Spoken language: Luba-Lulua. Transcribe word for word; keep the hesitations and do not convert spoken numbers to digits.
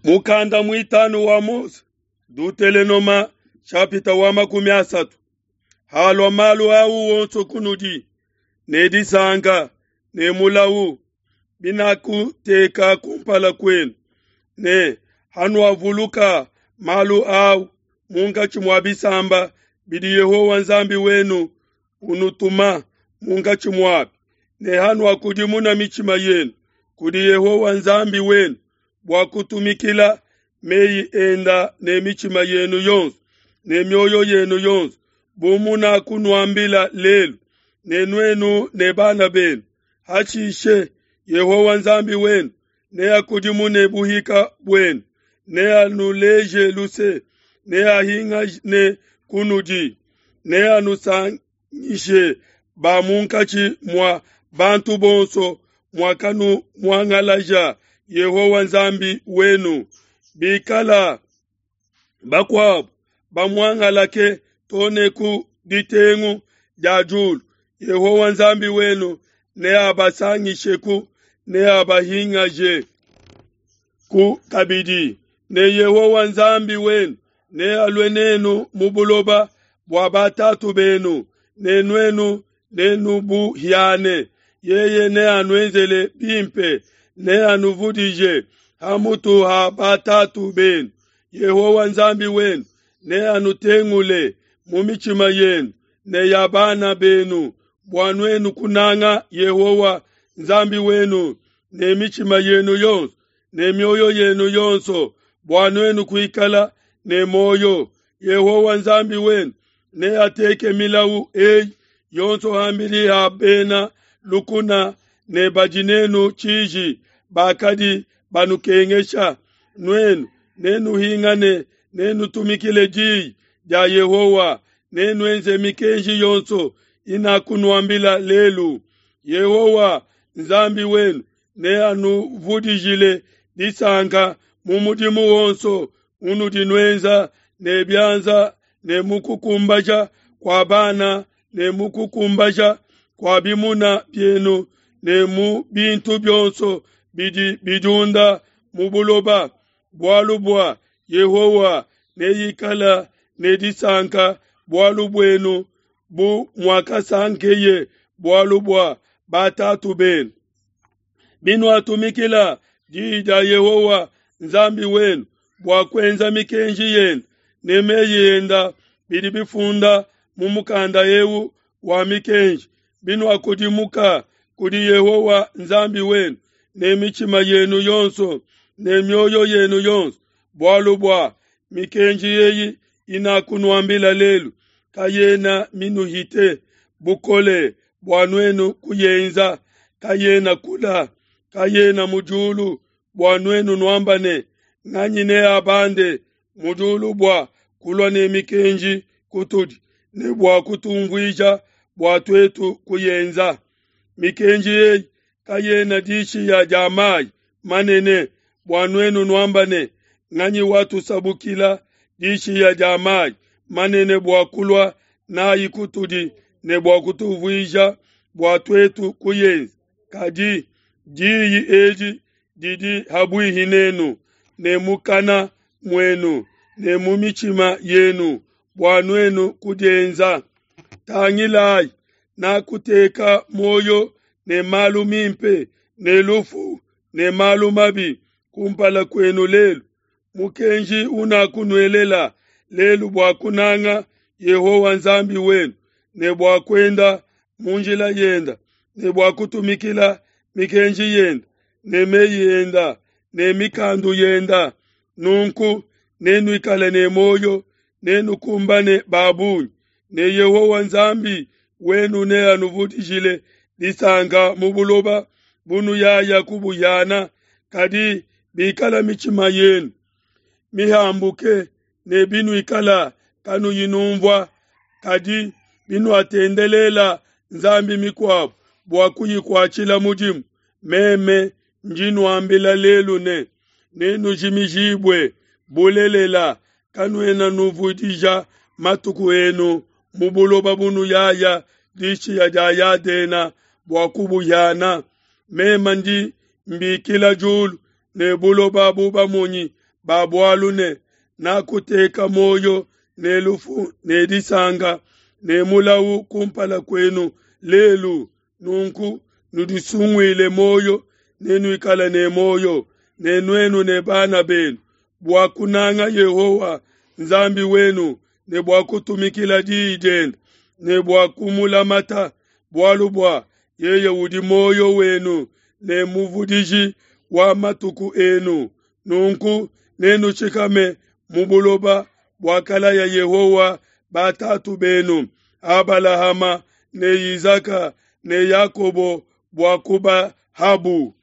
Mukanda muitanu wa Mose, Dutelenoma chapita wa makumi asatu. Halua malu au wonso kunudi ne disanka ne mulawu binakuteka kumpala kwenu ne hanuavuluka malu au munkatshi mua bisamba bidi Yehowa Nzambi wenu unutuma munkatshi muabi ne hanuakudimuna mitshima yenu kudi Yehowa Nzambi wenu bua kutumikila meyi enda ne mitshima yenu yonso ne mioyo yenu yonso bu munakunuambila lelu ne nuenu ne bana benu. Hashishe Yehowa Nzambi wenu neakudimune buhika buenu, neanuleje luse, neahingane kunudi, neanusangishe ba munkatshi mua bantu bonso muakanumuangalaja Yehowa Nzambi wenu. Bikala bakuabo bamuangalake too ne ku ditengu dia diulu, Yehowa Nzambi wenu neabasangisheku, neabahingaje ku kabidi. Ne Yehowa Nzambi wenu nealue nenu mu buloba bua batatu benu, ne nuenu nenubuhiane. Yeye neanuenzele bimpe, neanuvudije hamutu ha batatu benu. Yehowa Nzambi wenu neanutengule mu mitshima yenu ne ya bana benu, bua nuenu kunanga Yehowa Nzambi wenu ne mitshima yenu yonso ne mioyo yenu yonso, bua nuenu kuikala ne muoyo. Yehowa Nzambi wenu neateke milawu eyi yonso ham'bidi ha bena lukuna ne badi nenu tshiji bakadi banukengesha. Nuenu nenuhingane, nenutumikile diyi dia Yehowa, nenuenze mikenji yonso inakunuambila lelu. Yehowa Nzambi wenu neanuvudijile disanka mu mudimu wonso unudi nuenza ne bianza ne mu kukumbaja kua bana ne mu kukumbaja kua bimuna bienu ne mu bintu bionso bidi bidiunda mu buloba. Bualu bua Yehowa neikala ne disanka bualu buenu bu muakasankeye bualu bua batatu benu. Binuatumikila diyi dia Yehowa Nzambi wenu bua kuenza mikenji yende ne meyi enda bidi bifunda mu mukanda eu wa mikenji, binuakudimuka kudi Yehowa Nzambi wenu ne mitshima yenu yonso ne mioyo yenu yonso, bualu bua mikenji eyi inakunuambila lelu kayena minuhite bukole bua nuenu kuyenza, kayena kula, kayena mu diulu bua nuenu nuamba ne, nganyi neabande mu diulu bua kulua ne mikenji kutudi ne bua kutumvuija bua tuetu kuyenza. Mikenji eyi kayena dishiya dia mayi manene bua nuenu nuamba ne, nganyi watusabukila dishiya dia mayi manene bua kulua nayi kutudi ne bua kutuvuija bua tuetu kuyenza. Kadi diyi edi didi habuihi nenu ne mukana muenu ne mu mitshima yenu bua nuenu kudienza. Tangilayi, nakuteka muoyo ne malu mimpe ne lufu ne malu mabi kumpala kwenu lelu. Mukenji unakunuelela lelu bua kunanga Yehowa Nzambi wenu ne bua kuenda mu njila yenda ne bua kutumikila mikenji yenda ne meyi enda ne mikandu yenda. Nunku nenuikale ne muoyo, nenukumbane ba bungi, ne Yehowa Nzambi wenu neanuvudijile disanka mu buloba bunuyaya kubuhiana. Kadi bikala mitshima yenu mihambuke ne binuikala kanuyi numvua, kadi binuatendelela nzambi mikuabo bua kuyikuatshila mudimu, meme ndi nuambila lelu ne, nenujimijibue bulelela. Kanuena nuvudija matuku enu mu buloba bunuyaya dishiya dia Yadena bua kubuhiana. Meme ndi mbikila diulu ne buloba bu bamonyi ba bualu ne, Nakuteka muoyo ne lufu ne disanka ne mulawu kumpala kuenu lelu, nunku nudisunguile muoyo, nenuikale ne muoyo, ne nuenu ne bana benu, bua kunanga Yehowa Nzambi wenu ne bua kutumikila diyi diende ne bua kumulamata, bualu bua yeye udi muoyo wenu ne muvudiji wa matuku enu. Nunku nenushikame mu buloba buakalaya Yehowa batatu benu, Abalahama ne Izaka ne Yakobo bua kubahabu.